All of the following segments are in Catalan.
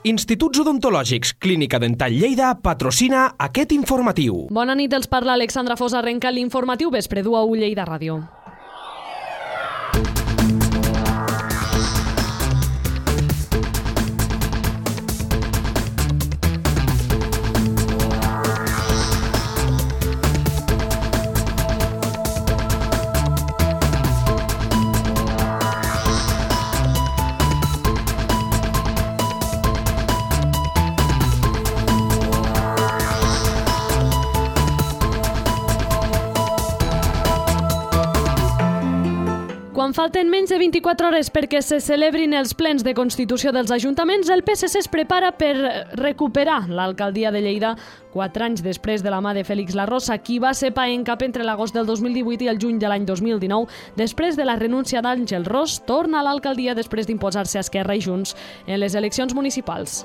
Instituts Odontològics Clínica Dental Lleida patrocina aquest informatiu. Bona nit, els parla Alexandra Fosa. Arrenca l'informatiu Vespre du a Lleida Ràdio. Quan falten menys de 24 hores perquè se celebrin els plens de Constitució dels ajuntaments, el PSC es prepara per recuperar l'alcaldia de Lleida 4 anys després de la mà de Félix Larrosa, qui va ser pa en cap entre l'agost del 2018 i el juny de l'any 2019. Després de la renúncia d'Àngel Ros, torna a l'alcaldia després d'imposar-se a Esquerra i Junts en les eleccions municipals.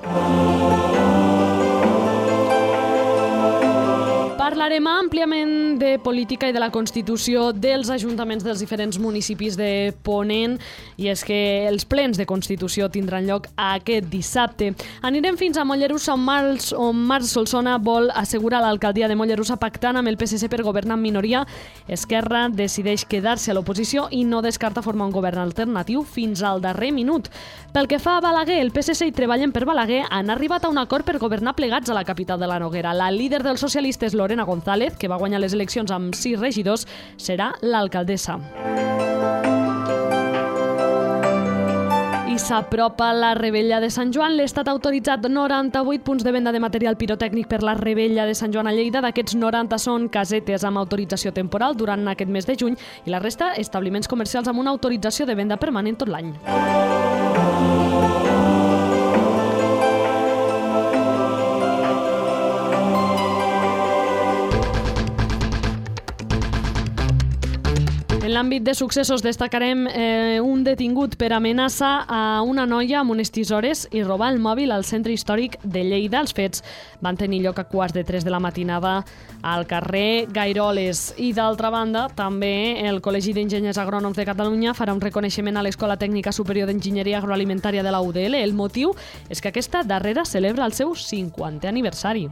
Parlarem àmpliament de política i de la Constitució dels ajuntaments dels diferents municipis de Ponent, i és que els plens de Constitució tindran lloc aquest dissabte. Anirem fins a Mollerussa, on Marc Solsona vol assegurar l'alcaldia de Mollerussa pactant amb el PSC per governar en minoria. Esquerra decideix quedar-se a l'oposició i no descarta formar un govern alternatiu fins al darrer minut. Pel que fa a Balaguer, el PSC i Treballen per Balaguer han arribat a un acord per governar plegats a la capital de la Noguera. La líder dels socialistes, Lorena González, que va guanyar les eleccions amb 6 regidors, serà l'alcaldessa. I s'apropa la Rebella de Sant Joan. L'Estat ha autoritzat 98 punts de venda de material pirotècnic per la Rebella de Sant Joan a Lleida. D'aquests 90 són casetes amb autorització temporal durant aquest mes de juny i la resta establiments comercials amb una autorització de venda permanent tot l'any. En l'àmbit de successos destacarem un detingut per amenaça a una noia amb unes tisores i robar el mòbil al centre històric de Lleida. Els fets van tenir lloc a 2:45 de la matinada al carrer Gairoles. I d'altra banda, també el Col·legi d'Enginyers Agrònoms de Catalunya farà un reconeixement a l'Escola Tècnica Superior d'Enginyeria Agroalimentària de la UDL. El motiu és que aquesta darrera celebra el seu 50è aniversari.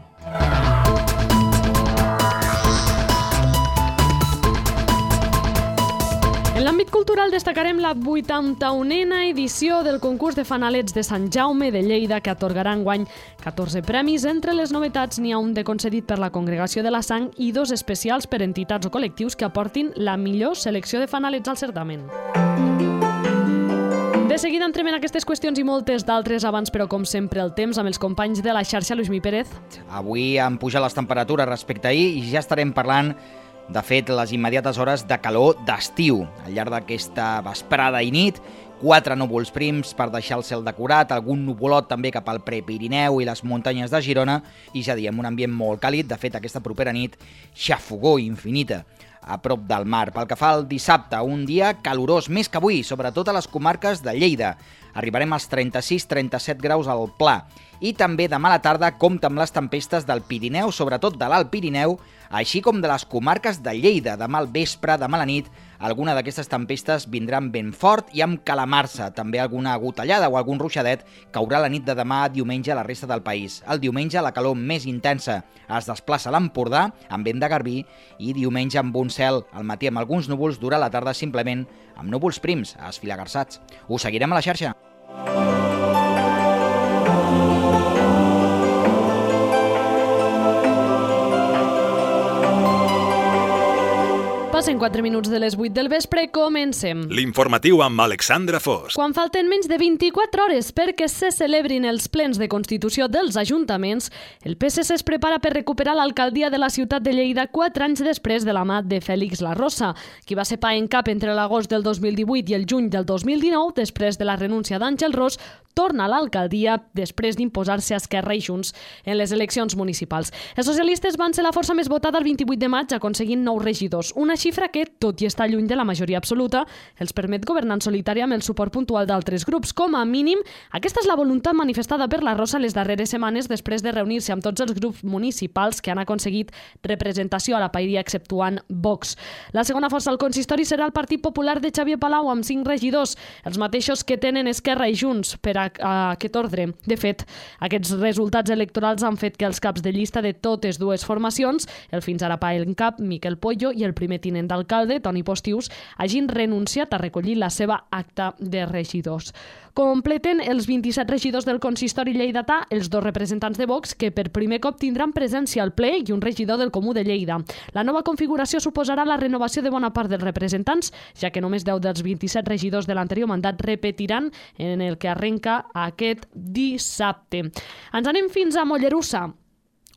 En l'àmbit cultural destacarem la 81a edició del concurs de fanalets de Sant Jaume de Lleida, que atorgarà enguany 14 premis. Entre les novetats n'hi ha un de concedit per la Congregació de la Sang i 2 especials per entitats o col·lectius que aportin la millor selecció de fanalets al certamen. De seguida entrem en aquestes qüestions i moltes d'altres. Abans, però, com sempre, el temps amb els companys de la xarxa. Lluís Pérez. Avui han pujat les temperatures respecte a ahir i ja estarem parlant, de fet, les immediates hores de calor d'estiu. Al llarg d'aquesta vesprada i nit, 4 núvols prims per deixar el cel decorat, algun nuvolot també cap al Prepirineu i les muntanyes de Girona, i ja diem, un ambient molt càlid. De fet, aquesta propera nit, xafogor infinita a prop del mar. Pel que fa al dissabte, un dia calorós, més que avui, sobretot a les comarques de Lleida. Arribarem als 36-37 graus al Pla. I també demà a la tarda compta amb les tempestes del Pirineu, sobretot de l'Alt Pirineu, així com de les comarques de Lleida. Demà al vespre, demà a la nit, alguna d'aquestes tempestes vindran ben fort i amb calamarsa. També alguna gotellada o algun ruixadet caurà la nit de demà a diumenge a la resta del país. El diumenge la calor més intensa es desplaça a l'Empordà, amb vent de garbí, i diumenge amb un cel al matí amb alguns núvols, durant la tarda simplement amb núvols prims esfilagarçats. Us seguirem a la xarxa. Passen 4 minuts de les 8 del vespre, comencem. L'informatiu amb Alexandra Fos. Quan falten menys de 24 hores perquè se celebrin els plens de Constitució dels ajuntaments, el PSC es prepara per recuperar l'alcaldia de la ciutat de Lleida 4 anys després de la mà de Félix Larrosa, qui va ser pa en cap entre l'agost del 2018 i el juny del 2019, després de la renúncia d'Àngel Ros, torna a l'alcaldia després d'imposar-se a Esquerra i Junts en les eleccions municipals. Els socialistes van ser la força més votada el 28 de maig, aconseguint 9 regidors, una xifra xifra que, tot i estar lluny de la majoria absoluta, els permet governar en solitari amb el suport puntual d'altres grups. Com a mínim, aquesta és la voluntat manifestada per la Rosa les darreres setmanes després de reunir-se amb tots els grups municipals que han aconseguit representació a la paeria exceptuant Vox. La segona força al consistori serà el Partit Popular de Xavier Palau amb 5 regidors, els mateixos que tenen Esquerra i Junts per a aquest ordre. De fet, aquests resultats electorals han fet que els caps de llista de totes dues formacions, el fins ara pa en cap, Miquel Pollo, i el primer tinent d'alcalde, Toni Postius, hagin renunciat a recollir la seva acta de regidors. Completen els 27 regidors del consistori lleidatà els 2 representants de Vox que per primer cop tindran presència al ple i un regidor del Comú de Lleida. La nova configuració suposarà la renovació de bona part dels representants, ja que només 10 dels 27 regidors de l'anterior mandat repetiran en el que arrenca aquest dissabte. Ens anem fins a Mollerussa,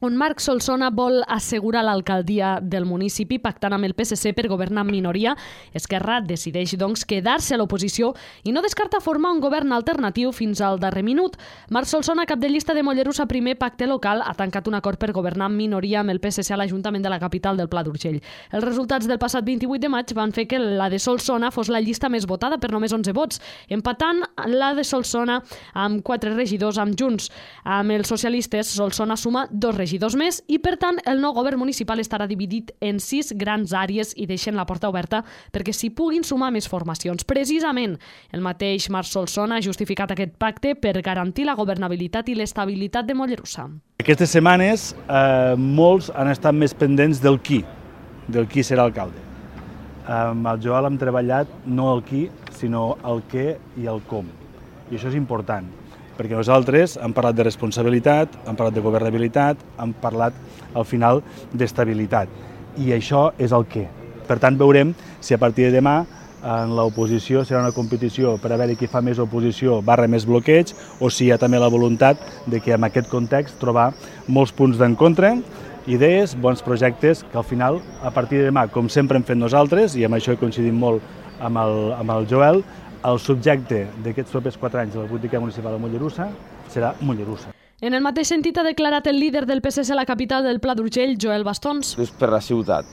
on Marc Solsona vol assegurar l'alcaldia del municipi pactant amb el PSC per governar en minoria. Esquerra decideix, doncs, quedar-se a l'oposició i no descarta formar un govern alternatiu fins al darrer minut. Marc Solsona, cap de llista de Mollerussa Primer Pacte Local, ha tancat un acord per governar en minoria amb el PSC a l'Ajuntament de la capital del Pla d'Urgell. Els resultats del passat 28 de maig van fer que la de Solsona fos la llista més votada per només 11 vots, empatant la de Solsona amb 4 regidors amb Junts. Amb els socialistes, Solsona suma 2 regidors més i, per tant, el nou govern municipal estarà dividit en 6 grans àrees i deixen la porta oberta perquè s'hi puguin sumar més formacions. Precisament, el mateix Marc Solsona ha justificat aquest pacte per garantir la governabilitat i l'estabilitat de Mollerussa. Aquestes setmanes molts han estat més pendents del qui serà alcalde. Amb el Joel hem treballat no el qui, sinó el què i el com. I això és important, perquè nosaltres hem parlat de responsabilitat, hem parlat de governabilitat, hem parlat, al final, d'estabilitat. I això és el què. Per tant, veurem si a partir de demà en l'oposició serà una competició per a veure qui fa més oposició / més bloqueig, o si hi ha també la voluntat de que en aquest context trobar molts punts d'encontre, idees, bons projectes, que al final, a partir de demà, com sempre hem fet nosaltres, i amb això he coincidit molt amb el Joel, el subjecte d'aquests propers 4 anys de la política municipal de Mollerussa serà Mollerussa. En el mateix sentit ha declarat el líder del PSC a la capital del Pla d'Urgell, Joel Bastons. És per la ciutat.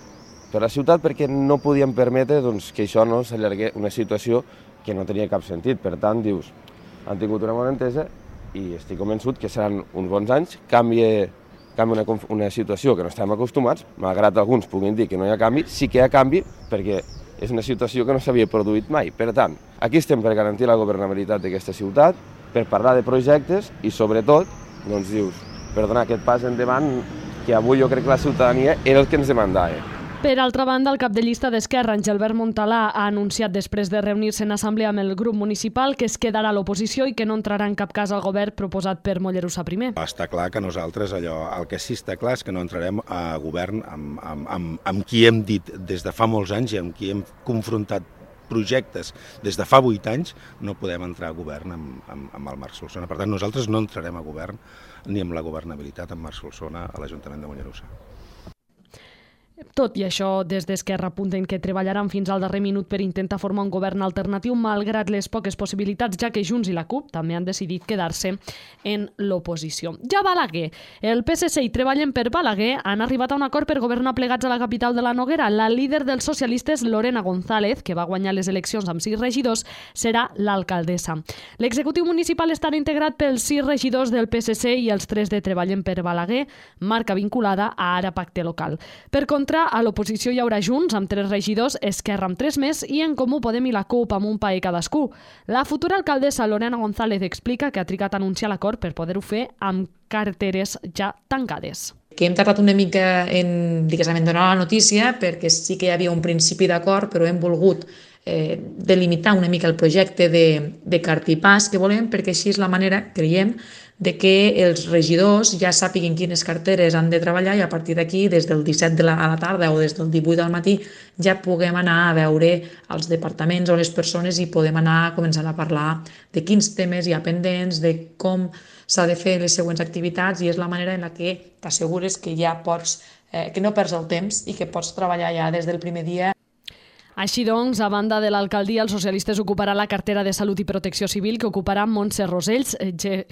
Per la ciutat perquè no podíem permetre que això no s'allargués una situació que no tenia cap sentit. Per tant, dius, han tingut una bona entesa i estic convençut que seran uns bons anys. Canvia una situació que no estem acostumats, malgrat alguns puguin dir que no hi ha canvi, sí que hi ha canvi perquè és una situació que no s'havia produït mai. Per tant, aquí estem per garantir la governabilitat d'aquesta ciutat, per parlar de projectes i, sobretot, doncs dius, per donar aquest pas endavant que avui jo crec que la ciutadania era el que ens demandava. Per altra banda, el cap de llista d'Esquerra, Angelbert Montalà, ha anunciat després de reunir-se en assemblea amb el grup municipal que es quedarà a l'oposició i que no entrarà en cap cas al govern proposat per Mollerussa Primer. Està clar que nosaltres el que sí està clar és que no entrarem a govern amb qui hem dit des de fa molts anys i amb qui hem confrontat projectes des de fa 8 anys, no podem entrar a govern amb el Marc Solsona. Per tant, nosaltres no entrarem a govern ni amb la governabilitat amb Marc Solsona a l'Ajuntament de Mollerussa. Tot i això, des d'Esquerra apunten que treballaran fins al darrer minut per intentar formar un govern alternatiu malgrat les poques possibilitats, ja que Junts i la CUP també han decidit quedar-se en l'oposició. Ja Balaguer. El PSC i Treballen per Balaguer han arribat a un acord per governar plegats a la capital de la Noguera. La líder dels socialistes, Lorena González, que va guanyar les eleccions amb 6 regidors, serà l'alcaldessa. L'executiu municipal estarà integrat pels 6 regidors del PSC i els 3 de Treballen per Balaguer, marca vinculada a Ara Pacte Local. Per contra, a l'oposició hi haurà Junts amb 3 regidors, Esquerra amb 3 més i En Comú Podem i la CUP amb un paer cadascú. La futura alcaldessa Lorena González explica que ha trigat a anunciar l'acord per poder-ho fer amb carteres ja tancades. Que hem tardat una mica en donar la notícia perquè sí que hi havia un principi d'acord, però hem volgut delimitar una mica el projecte de cartipàs que volem, perquè així és la manera, creiem, de que els regidors ja sàpiguen quines carteres han de treballar i a partir d'aquí, des del 17 a la tarda o des del 18 del matí, ja puguem anar a veure els departaments o les persones i podem anar començant a parlar de quins temes hi ha pendents, de com s'ha de fer les següents activitats, i és la manera en la que t'assegures que ja pots, que no perds el temps i que pots treballar ja des del primer dia. Així doncs, a banda de l'alcaldia, els socialistes ocuparan la cartera de Salut i Protecció Civil, que ocuparà Montse Rosells.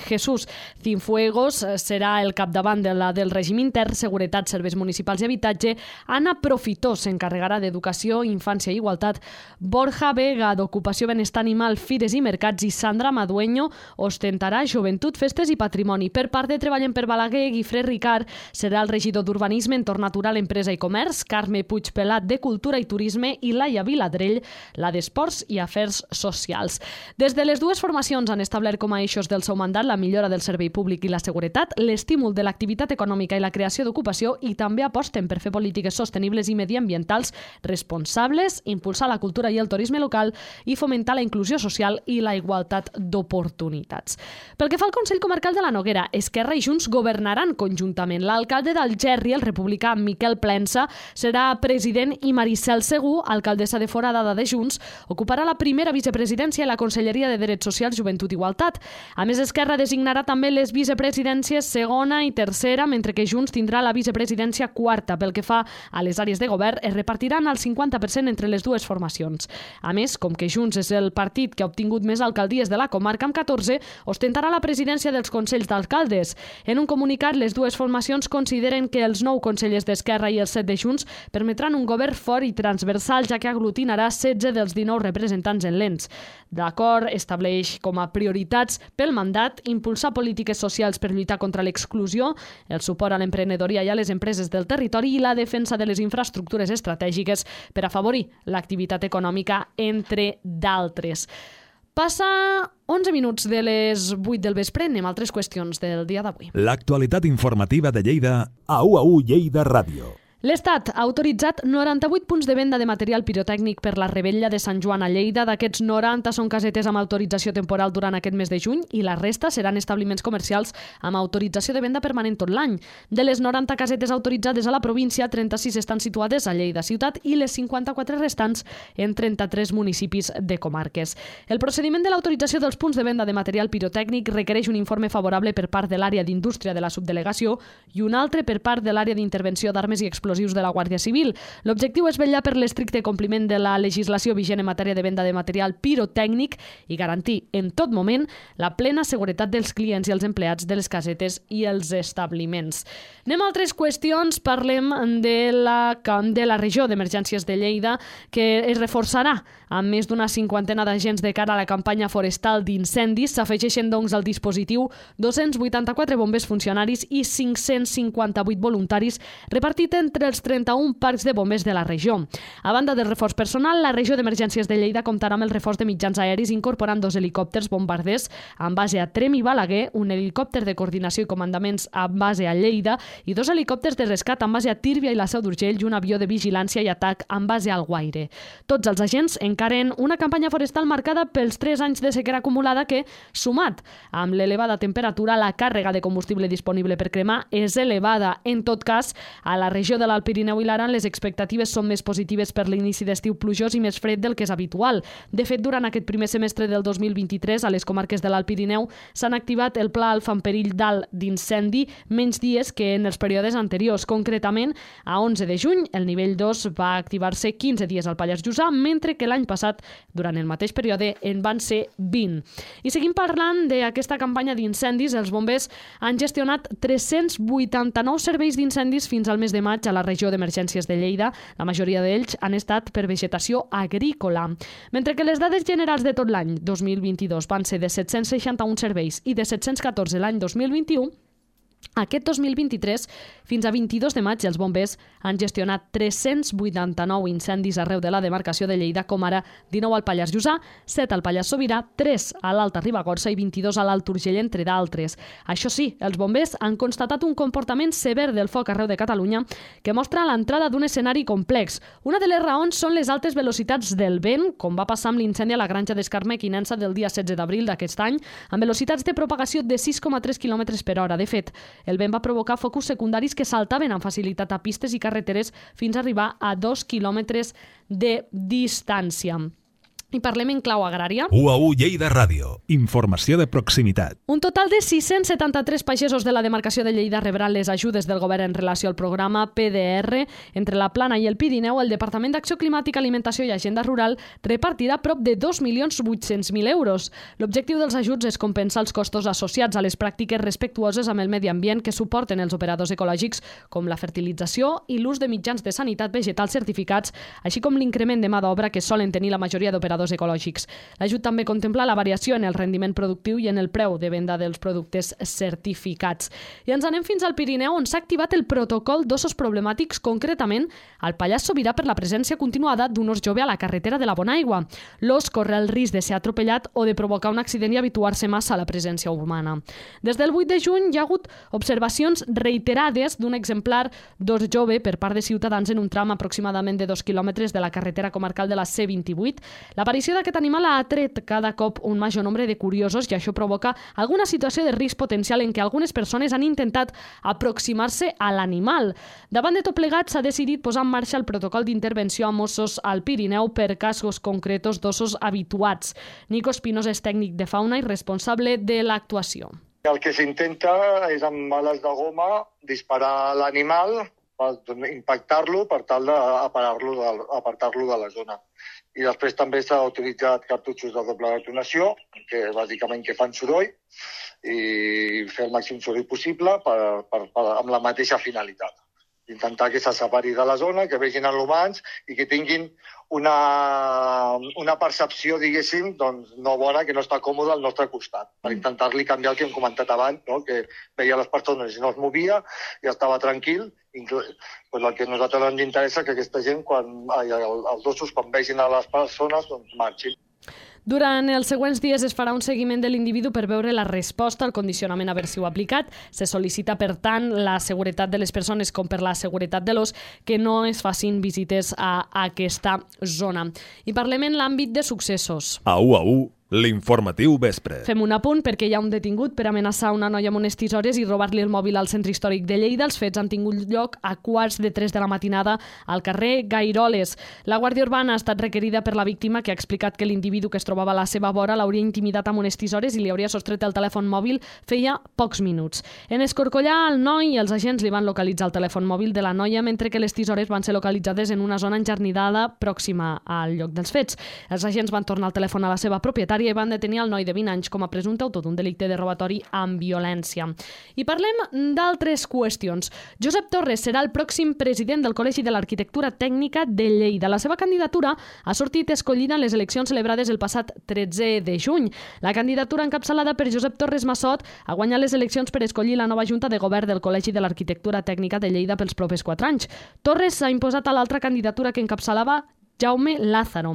Jesús Cienfuegos serà el capdavant de la del règim intern, Seguretat, Serveis Municipals i Habitatge. Anna Profitó s'encarregarà d'Educació, Infància i Igualtat. Borja Vega, d'Ocupació, Benestar Animal, Fires i Mercats. I Sandra Madueño ostentarà Joventut, Festes i Patrimoni. Per part de Treballen per Balaguer, Guifré Ricard serà el regidor d'Urbanisme, Entorn Natural, Empresa i Comerç. Carme Puigpelat, de Cultura i Turisme. I Laia Viladrell, la d'Esports i Afers Socials. Des de les dues formacions han establert com a eixos del seu mandat la millora del servei públic i la seguretat, l'estímul de l'activitat econòmica i la creació d'ocupació, i també aposten per fer polítiques sostenibles i mediambientals responsables, impulsar la cultura i el turisme local i fomentar la inclusió social i la igualtat d'oportunitats. Pel que fa al Consell Comarcal de la Noguera, Esquerra i Junts governaran conjuntament. L'alcalde d'Algerri, el republicà Miquel Plensa, serà president i Maricel Segú, alcaldessa de Foradada de Junts, ocuparà la primera vicepresidència i la Conselleria de Drets Socials, Joventut i Igualtat. A més, Esquerra designarà també les vicepresidències segona i tercera, mentre que Junts tindrà la vicepresidència quarta. Pel que fa a les àrees de govern, es repartiran el 50% entre les dues formacions. A més, com que Junts és el partit que ha obtingut més alcaldies de la comarca, amb 14, ostentarà la presidència dels Consells d'Alcaldes. En un comunicat, les dues formacions consideren que els 9 consellers d'Esquerra i els 7 de Junts permetran un govern fort i transversal, ja que aglutinarà 16 dels 19 representants en l'ENS. L'acord estableix com a prioritats pel mandat impulsar polítiques socials per lluitar contra l'exclusió, el suport a l'emprenedoria i a les empreses del territori i la defensa de les infraestructures estratègiques per afavorir l'activitat econòmica, entre d'altres. Passa 11 minuts de les 8 del vespre, anem a altres qüestions del dia d'avui. L'actualitat informativa de Lleida a UAU Lleida Ràdio. L'Estat ha autoritzat 98 punts de venda de material pirotècnic per la Revetlla de Sant Joan a Lleida. D'aquests, 90 són casetes amb autorització temporal durant aquest mes de juny i la resta seran establiments comercials amb autorització de venda permanent tot l'any. De les 90 casetes autoritzades a la província, 36 estan situades a Lleida ciutat i les 54 restants en 33 municipis de comarques. El procediment de l'autorització dels punts de venda de material pirotècnic requereix un informe favorable per part de l'àrea d'indústria de la subdelegació i un altre per part de l'àrea d'intervenció d'armes i explosius de la Guàrdia Civil. L'objectiu és vetllar per l'estricte compliment de la legislació vigent en matèria de venda de material pirotècnic i garantir en tot moment la plena seguretat dels clients i els empleats de les casetes i els establiments. Anem a altres qüestions. Parlem de la regió d'emergències de Lleida, que es reforçarà amb més d'una 50 d'agents de cara a la campanya forestal d'incendis. S'afegeixen, doncs, al dispositiu 284 bombers funcionaris i 558 voluntaris repartit entre els 31 parcs de bombers de la regió. A banda del reforç personal, la regió d'emergències de Lleida comptarà amb el reforç de mitjans aeris incorporant 2 helicòpters bombarders amb base a Trem i Balaguer, un helicòpter de coordinació i comandaments amb base a Lleida i 2 helicòpters de rescat amb base a Tírvia i la Seu d'Urgell i un avió de vigilància i atac amb base al Guaire. Tots els agents encaren una campanya forestal marcada pels 3 anys de sequera acumulada que, sumat amb l'elevada temperatura, la càrrega de combustible disponible per cremar és elevada. En tot cas, a la regió de l'Alt Pirineu i l'Aran les expectatives són més positives per l'inici d'estiu plujós i més fred del que és habitual. De fet, durant aquest primer semestre del 2023, a les comarques de l'Alt Pirineu s'han activat el Pla Alfa en perill d'alt d'incendi menys dies que en els períodes anteriors. Concretament, a 11 de juny, el nivell 2 va activar-se 15 dies al Pallars Jussà, mentre que l'any passat, durant el mateix període, en van ser 20. I seguim parlant d'aquesta campanya d'incendis. Els bombers han gestionat 389 serveis d'incendis fins al mes de maig a la regió d'emergències de Lleida. La majoria d'ells han estat per vegetació agrícola. Mentre que les dades generals de tot l'any 2022 van ser de 761 serveis i de 714 l'any 2021, aquest 2023, fins a 22 de maig, els bombers han gestionat 389 incendis arreu de la demarcació de Lleida, com ara 19 al Pallars Jussà, 7 al Pallars Sobirà, 3 a l'Alta Ribagorça i 22 a l'Alt Urgell, entre d'altres. Això sí, els bombers han constatat un comportament sever del foc arreu de Catalunya que mostra l'entrada d'un escenari complex. Una de les raons són les altes velocitats del vent, com va passar amb l'incendi a la granja d'Escarme-Quinença del dia 16 d'abril d'aquest any, amb velocitats de propagació de 6,3 km per hora. De fet, el vent va provocar focus secundaris que saltaven amb facilitat a pistes i carreteres fins a arribar a 2 quilòmetres de distància. I parlem en clau agrària. UAU Lleida Ràdio. Informació de proximitat. Un total de 673 pagesos de la demarcació de Lleida rebran les ajudes del govern en relació al programa PDR. Entre la Plana i el Pirineu, el Departament d'Acció Climàtica, Alimentació i Agenda Rural repartirà prop de 2.800.000 euros. L'objectiu dels ajuts és compensar els costos associats a les pràctiques respectuoses amb el medi ambient que suporten els operadors ecològics, com la fertilització i l'ús de mitjans de sanitat vegetal certificats, així com l'increment de mà d'obra que solen tenir la majoria d'operadors ecològics. L'ajut també contempla la variació en el rendiment productiu i en el preu de venda dels productes certificats. I ens anem fins al Pirineu, on s'ha activat el protocol d'ossos problemàtics, concretament al Pallars Sobirà per la presència continuada d'un os jove a la carretera de la Bonaigua. L'os corre el risc de ser atropellat o de provocar un accident i habituar-se massa a la presència humana. Des del 8 de juny hi ha hagut observacions reiterades d'un exemplar d'os jove per part de ciutadans en un tram aproximadament de 2 quilòmetres de la carretera comarcal de la C28. L'aparició d'aquest animal ha atret cada cop un major nombre de curiosos i això provoca alguna situació de risc potencial en què algunes persones han intentat aproximar-se a l'animal. Davant de tot plegat, s'ha decidit posar en marxa el protocol d'intervenció amb ossos al Pirineu per casos concretos d'ossos habituats. Nico Espinos és tècnic de fauna i responsable de l'actuació. El que s'intenta és amb bales de goma disparar l'animal per impactar-lo per tal d'apartar-lo de la zona. I després també s'ha utilitzat cartutxos de doble detonació, que bàsicament que fan soroll, i fer el màxim soroll possible amb la mateixa finalitat. Intentar que se separi de la zona, que vegin els humans i que tinguin una percepció, diguéssim, doncs, no bona, que no està còmode al nostre costat. Per intentar-li canviar el que hem comentat abans, no? Que veia les persones i no es movia i estava tranquil. Pues el que a nosaltres ens interessa que aquesta gent, els ossos, quan vegin a les persones, doncs marxin. Durant els següents dies es farà un seguiment de l'individu per veure la resposta al condicionament aversiu aplicat. Se sol·licita, per tant, la seguretat de les persones com per la seguretat de l'os que no es facin visites a aquesta zona. I parlem en l'àmbit de successos. A UAU, l'informatiu vespre. Fem un apunt perquè hi ha un detingut per amenaçar una noia amb unes tisores i robar-li el mòbil al centre històric de Lleida. Els fets han tingut lloc a 2:45 de la matinada al carrer Gairoles. La Guàrdia Urbana ha estat requerida per la víctima, que ha explicat que l'individu que es trobava a la seva vora l'hauria intimidat amb unes tisores i li hauria sostret el telèfon mòbil feia pocs minuts. En escorcollar el noi, els agents li van localitzar el telèfon mòbil de la noia, mentre que les tisores van ser localitzades en una zona enjardinada pròxima al lloc dels fets. Els agents van tornar el telèfon a la seva propietària i van detenir el noi de 20 anys com a presumpte autor d'un delicte de robatori amb violència. I parlem d'altres qüestions. Josep Torres serà el pròxim president del Col·legi de l'Arquitectura Tècnica de Lleida. La seva candidatura ha sortit escollida en les eleccions celebrades el passat 13 de juny. La candidatura encapçalada per Josep Torres Massot ha guanyat les eleccions per escollir la nova Junta de Govern del Col·legi de l'Arquitectura Tècnica de Lleida pels propers 4 anys. Torres s'ha imposat a l'altra candidatura que encapçalava Jaume Lázaro.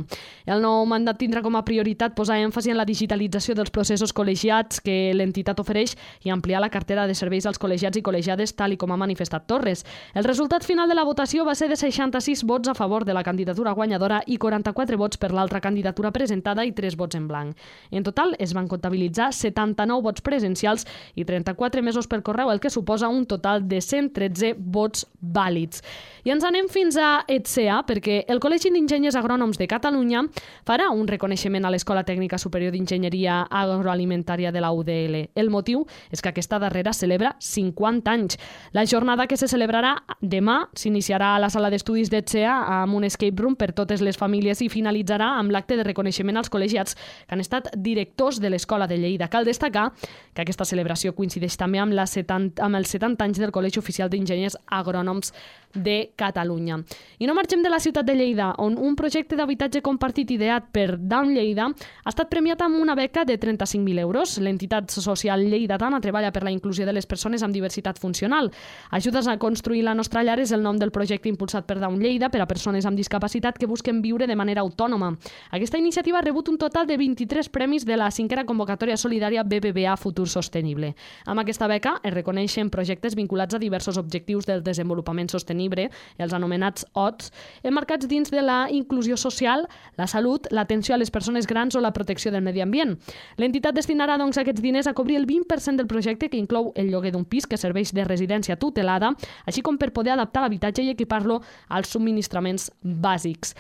El nou mandat tindrà com a prioritat posar èmfasi en la digitalització dels processos col·legiats que l'entitat ofereix i ampliar la cartera de serveis als col·legiats i col·legiades, tal i com ha manifestat Torres. El resultat final de la votació va ser de 66 vots a favor de la candidatura guanyadora i 44 vots per l'altra candidatura presentada i 3 vots en blanc. En total es van comptabilitzar 79 vots presencials i 34 emesos per correu, el que suposa un total de 113 vots vàlids. I ens anem fins a ETSEA, perquè el Col·legi d'Enginyers Agrònoms de Catalunya farà un reconeixement a l'Escola Tècnica Superior d'Enginyeria Agroalimentària de la UDL. El motiu és que aquesta darrera celebra 50 anys. La jornada, que se celebrarà demà, s'iniciarà a la sala d'estudis d'ETSEA amb un escape room per totes les famílies i finalitzarà amb l'acte de reconeixement als col·legiats que han estat directors de l'Escola de Lleida. Cal destacar que aquesta celebració coincideix també amb els 70 anys del Col·legi Oficial d'Enginyers Agrònoms de Catalunya. I no marxem de la ciutat de Lleida, on un projecte d'habitatge compartit ideat per Down Lleida ha estat premiat amb una beca de 35.000 euros. L'entitat social lleidatana treballa per la inclusió de les persones amb diversitat funcional. Ajudes a construir la nostra llar és el nom del projecte impulsat per Down Lleida per a persones amb discapacitat que busquen viure de manera autònoma. Aquesta iniciativa ha rebut un total de 23 premis de la 5a convocatòria solidària BBVA Futur Sostenible. Amb aquesta beca es reconeixen projectes vinculats a diversos objectius del desenvolupament sostenible, els anomenats ODS, emmarcats dins de la inclusió social, la salut, l'atenció a les persones grans o la protecció del medi ambient. L'entitat destinarà doncs aquests diners a cobrir el 20% del projecte, que inclou el lloguer d'un pis que serveix de residència tutelada, així com per poder adaptar l'habitatge i equipar-lo als subministraments bàsics.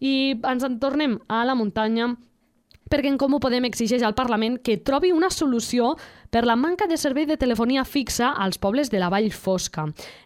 I ens en tornem a la muntanya perquè En Comú Podem exigeix al Parlament que trobi una solució per la manca de servei de telefonia fixa als pobles de la Vall Fosca.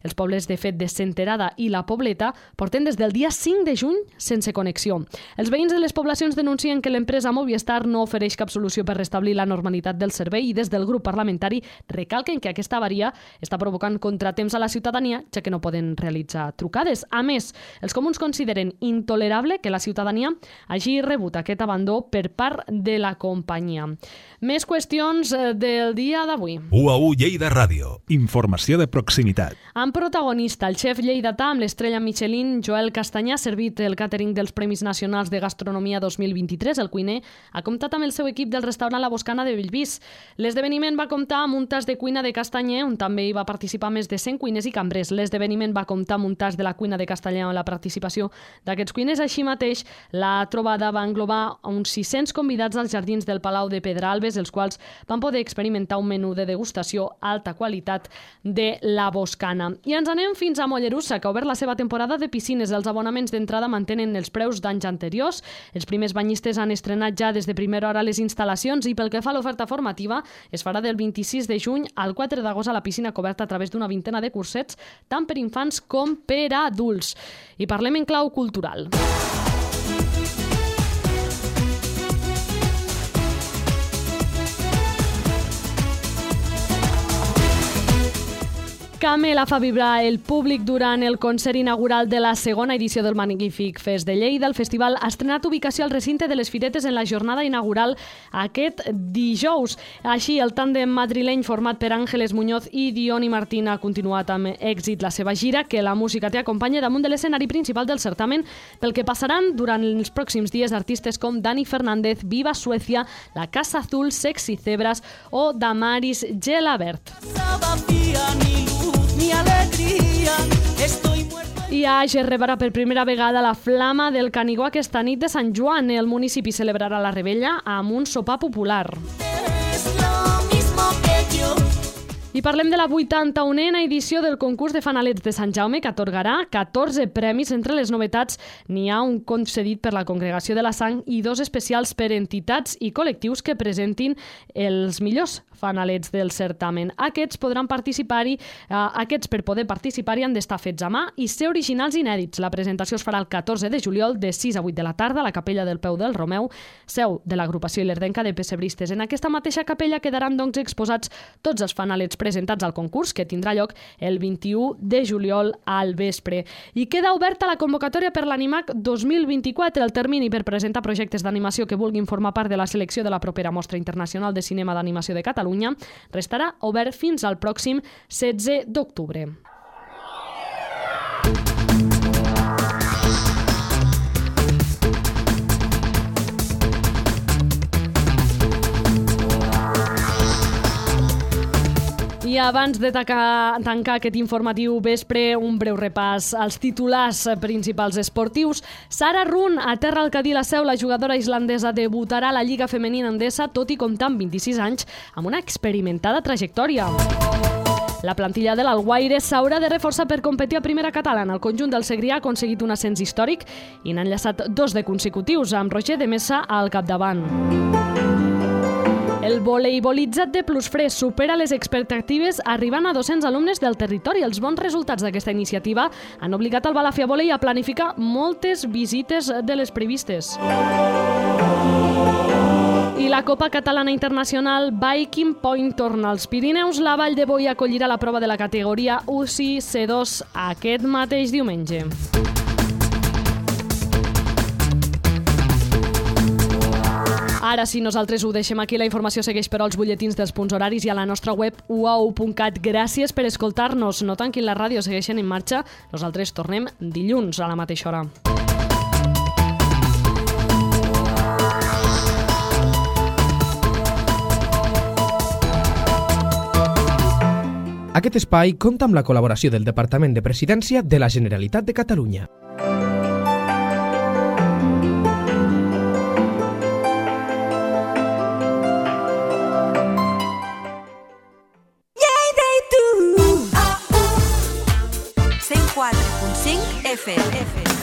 Els pobles, de fet, de Senterada i la Pobleta porten des del dia 5 de juny sense connexió. Els veïns de les poblacions denuncien que l'empresa Movistar no ofereix cap solució per restablir la normalitat del servei i des del grup parlamentari recalquen que aquesta avaria està provocant contratemps a la ciutadania, ja que no poden realitzar trucades. A més, els comuns consideren intolerable que la ciutadania hagi rebut aquest abandó per part de la companyia. Més qüestions del dia d'avui. UAU Lleida Ràdio. Informació de proximitat. En protagonista, el xef lleidatà amb l'estrella Michelin, Joel Castanyà, ha servit el càtering dels Premis Nacionals de Gastronomia 2023. El cuiner ha comptat amb el seu equip del restaurant La Boscana de Bellvís. L'esdeveniment va comptar amb un tas de cuina de Castanyer, on també hi va participar més de 100 cuiners i cambrers. L'esdeveniment va comptar amb un tas de la cuina de Castellà amb la participació d'aquests cuiners. Així mateix, la trobada va englobar uns 600 convidats als jardins del Palau de Pedralbes, els quals van poder experimentar un menú de degustació alta qualitat de La Boscana. I ens anem fins a Mollerussa, que ha obert la seva temporada de piscines. Els abonaments d'entrada mantenen els preus d'anys anteriors. Els primers banyistes han estrenat ja des de primera hora les instal·lacions i pel que fa a l'oferta formativa es farà del 26 de juny al 4 d'agost a la piscina coberta a través d'una vintena de cursets, tant per infants com per adults. I parlem en clau cultural. Camela fa vibrar el públic durant el concert inaugural de la segona edició del Magnífic Fest de Lleida. El festival ha estrenat ubicació al recinte de les Firetes en la jornada inaugural aquest dijous. Així, el tàndem madrileny format per Àngeles Muñoz i Dioni Martín ha continuat amb èxit la seva gira, que la música té acompanya damunt de l'escenari principal del certamen, pel que passaran durant els pròxims dies artistes com Dani Fernández, Viva Suecia, La Casa Azul, Sexy Cebras o Damaris Gelabert. I a Àger rebrà per primera vegada la flama del Canigó aquesta nit de Sant Joan. El municipi celebrarà la rebella amb un sopar popular. I parlem de la 81a edició del concurs de fanalets de Sant Jaume, que atorgarà 14 premis. Entre les novetats n'hi ha un concedit per la Congregació de la Sang i 2 especials per entitats i col·lectius que presentin els millors fanalets del certamen. Aquests podran participar-hi, per poder participar-hi han d'estar fets a mà i ser originals i inèdits. La presentació es farà el 14 de juliol de 6 a 8 de la tarda a la Capella del Peu del Romeu, seu de l'agrupació Ilerdenca de Pessebristes. En aquesta mateixa capella quedaran doncs exposats tots els fanalets presentats al concurs, que tindrà lloc el 21 de juliol al vespre. I queda oberta la convocatòria per l'Animac 2024. El termini per presentar projectes d'animació que vulguin formar part de la selecció de la propera Mostra Internacional de Cinema d'Animació de Catalunya restarà obert fins al pròxim 16 d'octubre. I abans de tancar aquest informatiu vespre, un breu repàs als titulars principals esportius. Sara Run aterra al Cadí la Seu. La jugadora islandesa debutarà a la Lliga Femenina Endesa, tot i comptar amb 26 anys, amb una experimentada trajectòria. La plantilla de l'Alguaire s'haurà de reforçar per competir a primera catalana. El conjunt del Segrià ha aconseguit un ascens històric i n'ha enllaçat 2 de consecutius, amb Roger de Mesa al capdavant. El voleibolitzat de Plusfresc supera les expectatives arribant a 200 alumnes del territori. Els bons resultats d'aquesta iniciativa han obligat el Balàfia Volei a planificar moltes visites de les previstes. I la Copa Catalana Internacional Viking Point torna als Pirineus. La Vall de Boi acollirà la prova de la categoria UCI C2 aquest mateix diumenge. Ara sí, nosaltres ho deixem aquí. La informació segueix però als butlletins dels punts horaris i a la nostra web uau.cat. Gràcies per escoltar-nos. No tanquin la ràdio, segueixen en marxa. Nosaltres tornem dilluns a la mateixa hora. Aquest espai compta amb la col·laboració del Departament de Presidència de la Generalitat de Catalunya. FM.